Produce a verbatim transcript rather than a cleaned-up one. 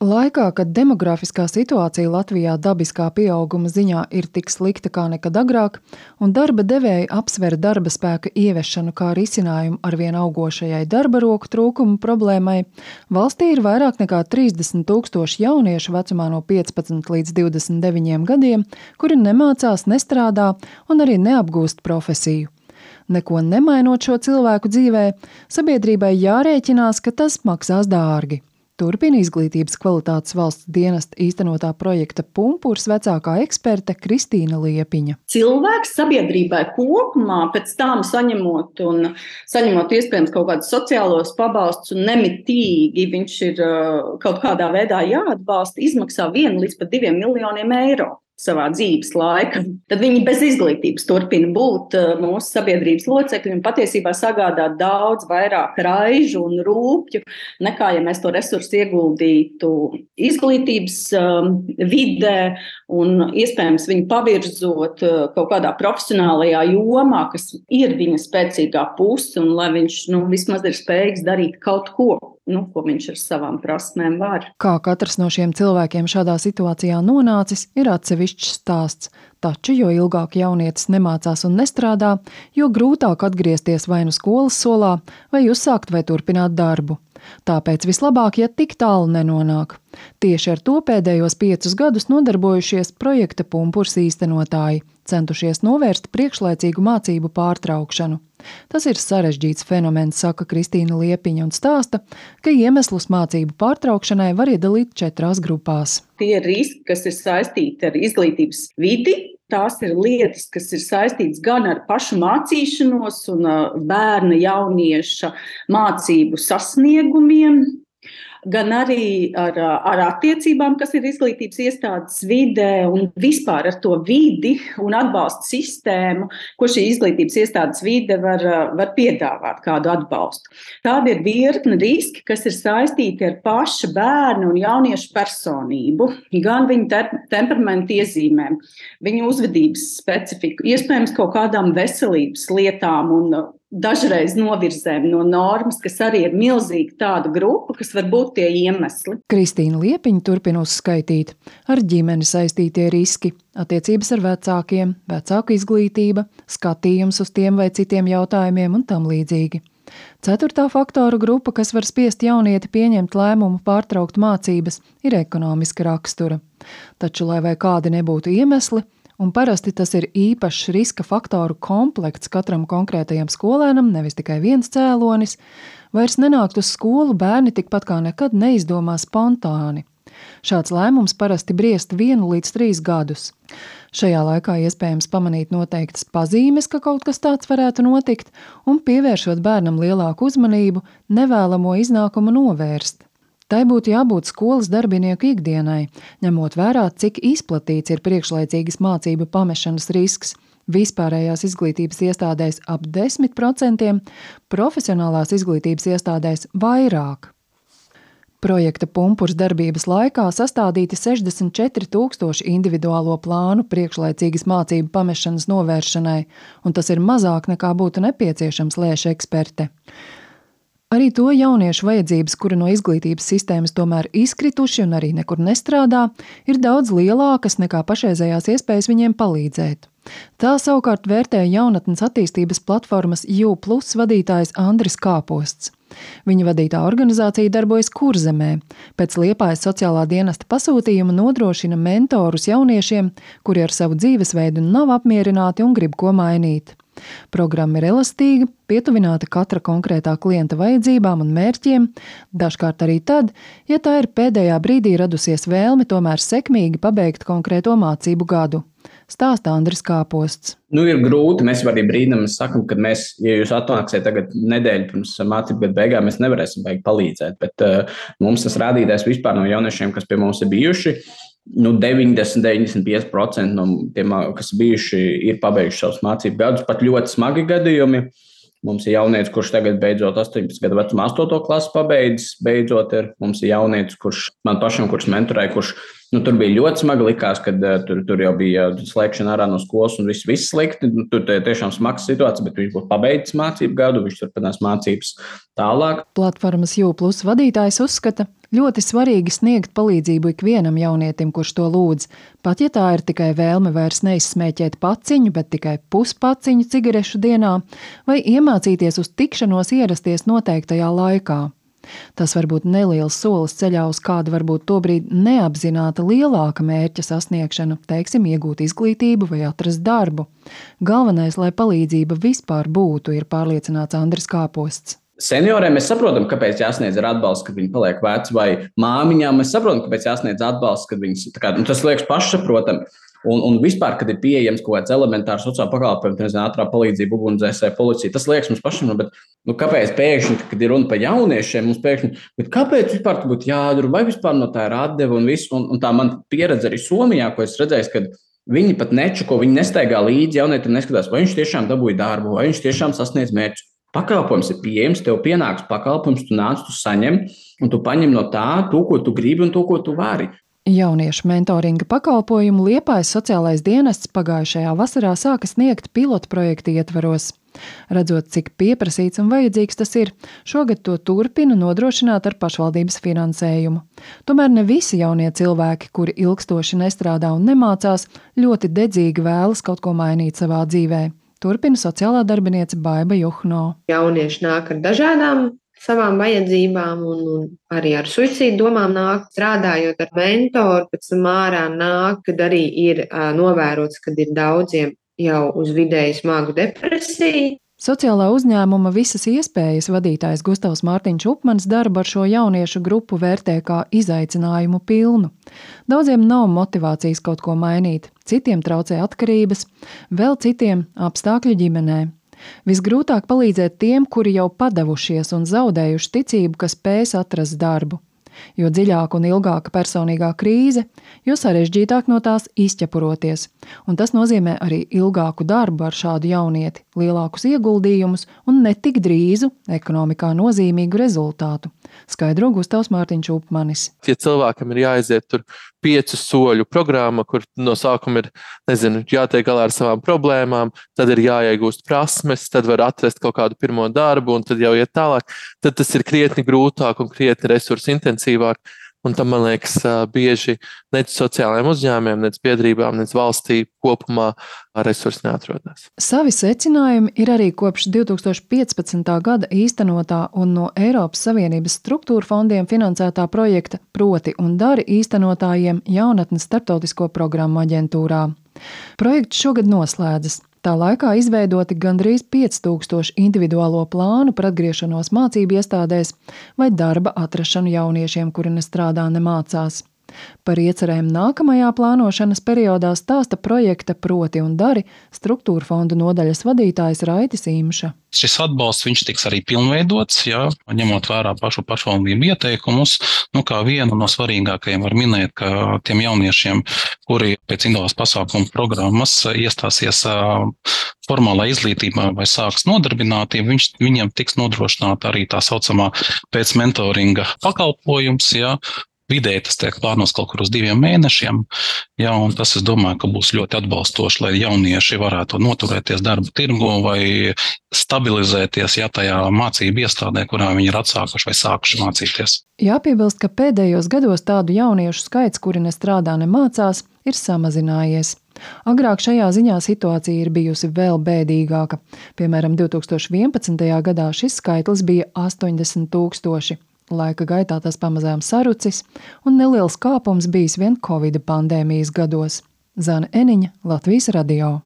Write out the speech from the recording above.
Laikā, kad demografiskā situācija Latvijā dabiskā pieauguma ziņā ir tik slikta kā nekad agrāk, un darba devēji apsver darba spēka ieviešanu kā risinājumu arvien augošajai darba roku trūkuma problēmai, valstī ir vairāk nekā trīsdesmit tūkstoši jauniešu vecumā no piecpadsmit līdz divdesmit deviņiem gadiem, kuri nemācās, nestrādā un arī neapgūst profesiju. Neko nemainot šo cilvēku dzīvē, sabiedrībai jārēķinās, ka tas maksās dārgi. Turpina Izglītības kvalitātes valsts dienesta īstenotā projekta Pumpurs vecākā eksperte Kristīna Liepiņa. Cilvēks sabiedrībai kopumā pēc tam saņemot un saņemot iespējams kaut kādus sociālos pabalstus un nemitīgi viņš ir kaut kādā veidā jāatbalsta, izmaksā vienu līdz pat diviem miljoniem eiro savā dzīves laika. Tad viņi bez izglītības turpina būt mūsu sabiedrības locekļi un patiesībā sagādā daudz vairāk raižu un rūpju, nekā ja mēs to resursu ieguldītu izglītības um, vidē un iespējams viņu pavirzot uh, kaut kādā profesionālajā jomā, kas ir viņa spēcīgā puse un lai viņš nu, vismaz ir spējīgs darīt kaut ko. Nu, ko viņš ar savām prasmēm var. Kā katrs no šiem cilvēkiem šādā situācijā nonācis, ir atsevišķs stāsts. Taču, jo ilgāk jaunietis nemācās un nestrādā, jo grūtāk atgriezties vai nu skolas solā, vai uzsākt vai turpināt darbu. Tāpēc vislabāk, ja tik tālu nenonāk. Tieši ar to pēdējos piecus gadus nodarbojušies projekta Pumpurs īstenotāji, centušies novērst priekšlaicīgu mācību pārtraukšanu. Tas ir sarežģīts fenomens, saka Kristīna Liepiņa un stāsta, ka iemeslus mācību pārtraukšanai var iedalīt četrās grupās. Tie riski, kas ir saistīti ar izglītības vidi, tās ir lietas, kas ir saistītas gan ar pašu mācīšanos un bērna jaunieša mācību sasniegumiem, gan arī ar, ar attiecībām, kas ir izglītības iestādes vidē un vispār ar to vidi un atbalstu sistēmu, ko šī izglītības iestādes vide var, var piedāvāt kādu atbalstu. Tādi ir virkni riski, kas ir saistīti ar paša bērnu un jauniešu personību, gan viņu te, temperamentu iezīmēm, viņu uzvedības specifiku, iespējams kaut kādām veselības lietām un dažreiz novirzēm no normas, kas arī ir milzīga tāda grupa, kas var būt tie iemesli. Kristīna Liepiņa turpina uzskaitīt. Ar ģimeni saistītie riski, attiecības ar vecākiem, vecāku izglītība, skatījums uz tiem vai citiem jautājumiem un tam līdzīgi. Ceturtā faktoru grupa, kas var spiest jaunieti pieņemt lēmumu pārtraukt mācības, ir ekonomiska rakstura. Taču, lai vai kādi nebūtu iemesli, un parasti tas ir īpašs riska faktoru komplekts katram konkrētajam skolēnam, nevis tikai viens cēlonis, vairs nenākt uz skolu bērni tikpat kā nekad neizdomā spontāni. Šāds lēmums parasti briest vienu līdz trīs gadus. Šajā laikā iespējams pamanīt noteiktas pazīmes, ka kaut kas tāds varētu notikt, un pievēršot bērnam lielāku uzmanību, nevēlamo iznākumu novērst. Tai būtu jābūt skolas darbinieku ikdienai, ņemot vērā, cik izplatīts ir priekšlaicīgas mācību pamešanas risks. Vispārējās izglītības iestādēs ap desmit procentiem, profesionālās izglītības iestādēs vairāk. Projekta Pumpurs darbības laikā sastādīti sešdesmit četri tūkstoši individuālo plānu priekšlaicīgas mācību pamešanas novēršanai, un tas ir mazāk nekā būtu nepieciešams, lēš eksperte. Arī to jauniešu vajadzības, kuri no izglītības sistēmas tomēr izkrituši un arī nekur nestrādā, ir daudz lielākas nekā pašreizējās iespējas viņiem palīdzēt. Tā savukārt vērtē jaunatnes attīstības platformas U plus vadītājs Andris Kāposts. Viņa vadītā organizācija darbojas Kurzemē. Pēc Liepājas sociālā dienesta pasūtījuma nodrošina mentorus jauniešiem, kuri ar savu dzīvesveidu nav apmierināti un grib ko mainīt. Programma ir elastīga, pietuvināta katra konkrētā klienta vajadzībām un mērķiem, dažkārt arī tad, ja tā ir pēdējā brīdī radusies vēlme tomēr sekmīgi pabeigt konkrēto mācību gadu. Stāsta Andris Kāposts. Nu, ir grūti, mēs arī brīdam sakam, ka mēs, ja jūs atnāksiet tagad nedēļu pirms mācību gadu beigām, mēs nevarēsim beigt palīdzēt, bet uh, mums tas rādītājs vispār no jauniešiem, kas pie mums ir bijuši, nu, deviņdesmit līdz deviņdesmit pieci procenti no tiem, kas bijuši, ir pabeiguši savus mācību gadus, pat ļoti smagi gadījumi. Mums ir jaunietis, kurš tagad beidzot astoņpadsmit gadu vecumā astoto klasu pabeidzis, beidzot ir. Mums ir jaunietis, kurš man pašam, kurš mentorēja, kurš Nu, tur bija ļoti smagi, likās, ka uh, tur, tur jau bija slēgšana ārā no skolas un viss, viss slikti. Tur tiešām smags situācija, bet viņš būtu pabeidzis mācību gadu, viņš turpinās mācības tālāk. Platformas Jū Plus vadītājs uzskata, ļoti svarīgi sniegt palīdzību ikvienam jaunietim, kurš to lūdz, pat ja tā ir tikai vēlme vairs neizsmēķēt paciņu, bet tikai puspaciņu cigarešu dienā, vai iemācīties uz tikšanos ierasties noteiktajā laikā. Tas var būt neliels solis ceļā uz kādu varbūt tobrīd neapzināta lielāka mērķa sasniegšanu, teiksim, iegūt izglītību vai atrast darbu. Galvenais, lai palīdzība vispār būtu, ir pārliecināts Andris Kāposts. Senioriem mēs saprotam, kāpēc jāsniedz ar atbalsts, kad viņi paliek veci, vai māmiņām mēs saprotam, kāpēc jāsniedz atbalsts, kad viņas, tā kā, nu, tas liekas pašsaprotami. Un, un vispār, kad ir pieejams kaut kāds elementārs sociāla pakalpojums, nezinu, ātrā palīdzība, ugunsdzēsēji, policija, tas liekas mums pašam, bet nu, kāpēc pēkšņi, kad ir runa par jauniešiem, mums pēkšņi, bet kāpēc vispār tu būtu jādara, vai vispār no tā ir atdeva un viss, un, un tā man pieredze arī Somijā, ko es redzēju, kad viņi pat nečuko, viņi nestaigā līdzi jaunietim, neskatās, vai viņš tiešām dabūja darbu, vai viņš tiešām sasniedz mērķus. Pakalpojums ir pieejams, tev pienāks pakalpojums, tu nāc, tu saņem, un tu paņem no tā to, ko tu gribi un to, ko tu vari. Jauniešu mentoringa pakalpojumu Liepājas sociālais dienests pagājušajā vasarā sāka sniegt pilotu projekta ietvaros. Redzot, cik pieprasīts un vajadzīgs tas ir, šogad to turpina nodrošināt ar pašvaldības finansējumu. Tomēr ne visi jaunie cilvēki, kuri ilgstoši nestrādā un nemācās, ļoti dedzīgi vēlas kaut ko mainīt savā dzīvē. Turpina sociālā darbiniece Baiba Juhno. Jaunieši nāk ar dažādām savām vajadzībām un, un arī ar suicīdu domām nāk, strādājot ar mentoru, pēc tam ārā nāk, kad arī ir uh, novērots, kad ir daudziem jau uz vidēji smagu depresiju. Sociālā uzņēmuma Visas iespējas vadītājs Gustavs Mārtiņš Upmans darbu ar šo jauniešu grupu vērtē kā izaicinājumu pilnu. Daudziem nav motivācijas kaut ko mainīt, citiem traucē atkarības, vēl citiem apstākļi ģimenē. Visgrūtāk palīdzēt tiem, kuri jau padavušies un zaudējuši ticību, ka spēs atrast darbu. Jo dziļāka un ilgāka personīgā krīze, jo sarežģītāk no tās izķepuroties. Un tas nozīmē arī ilgāku darbu ar šādu jaunieti, lielākus ieguldījumus un ne tik drīzu ekonomikā nozīmīgu rezultātu, skaidro Gustavs Mārtiņš Upmanis. Ja cilvēkam ir jāaiziet tur piecu soļu programma, kur no sākuma ir, nezinu, jātiek galā ar savām problēmām, tad ir jāiegūst prasmes, tad var atrast kaut kādu pirmo darbu un tad jau iet tālāk, tad tas ir krietni grūtāk un krietni resursu intensīvāk. Un tam, man liekas, bieži nec sociālajiem uzņēmumiem, nec biedrībām, nec valstī kopumā resursi neatrodas. Savi secinājumi ir arī kopš divi tūkstoši piecpadsmitā gada īstenotā un no Eiropas Savienības struktūra fondiem finansētā projekta Proti un dari īstenotājiem jaunatnes starptautisko programmu aģentūrā. Projekts šogad noslēdzas. Tā laikā izveidoti gandrīz pieci tūkstoši individuālo plānu par atgriešanos mācību iestādēs vai darba atrašanu jauniešiem, kuri nestrādā, nemācās. Par iecerēm nākamajā plānošanas periodā stāsta projekta Proti un dari struktūra fondu nodaļas vadītājs Raitis Imša. Šis atbalsts viņš tiks arī pilnveidots, jā, ņemot vērā pašu pašvaldību ieteikumus. Nu, kā vienu no svarīgākajiem var minēt, ka tiem jauniešiem, kuri pēc individuālās pasākumu programmas iestāsies formālā izglītībā vai sāks nodarbinātību, viņš, viņiem tiks nodrošināta arī tā saucamā pēc mentoringa pakalpojums, jā. Vidēji tas tiek plānos kaut kur uz diviem mēnešiem, jā, un tas, es domāju, ka būs ļoti atbalstoši, lai jaunieši varētu noturēties darba tirgu vai stabilizēties, ja tajā mācību iestādē, kurā viņi ir atsākuši vai sākuši mācīties. Jāpiebilst, ka pēdējos gados tādu jauniešu skaits, kuri nestrādā, nemācās, ir samazinājies. Agrāk šajā ziņā situācija ir bijusi vēl bēdīgāka. Piemēram, divi tūkstoši vienpadsmitajā gadā šis skaitlis bija astoņdesmit tūkstoši. Laika gaitā tas pamazām sarucis, un neliels kāpums bijis vien Covida pandēmijas gados. Zane Eniņa, Latvijas radio.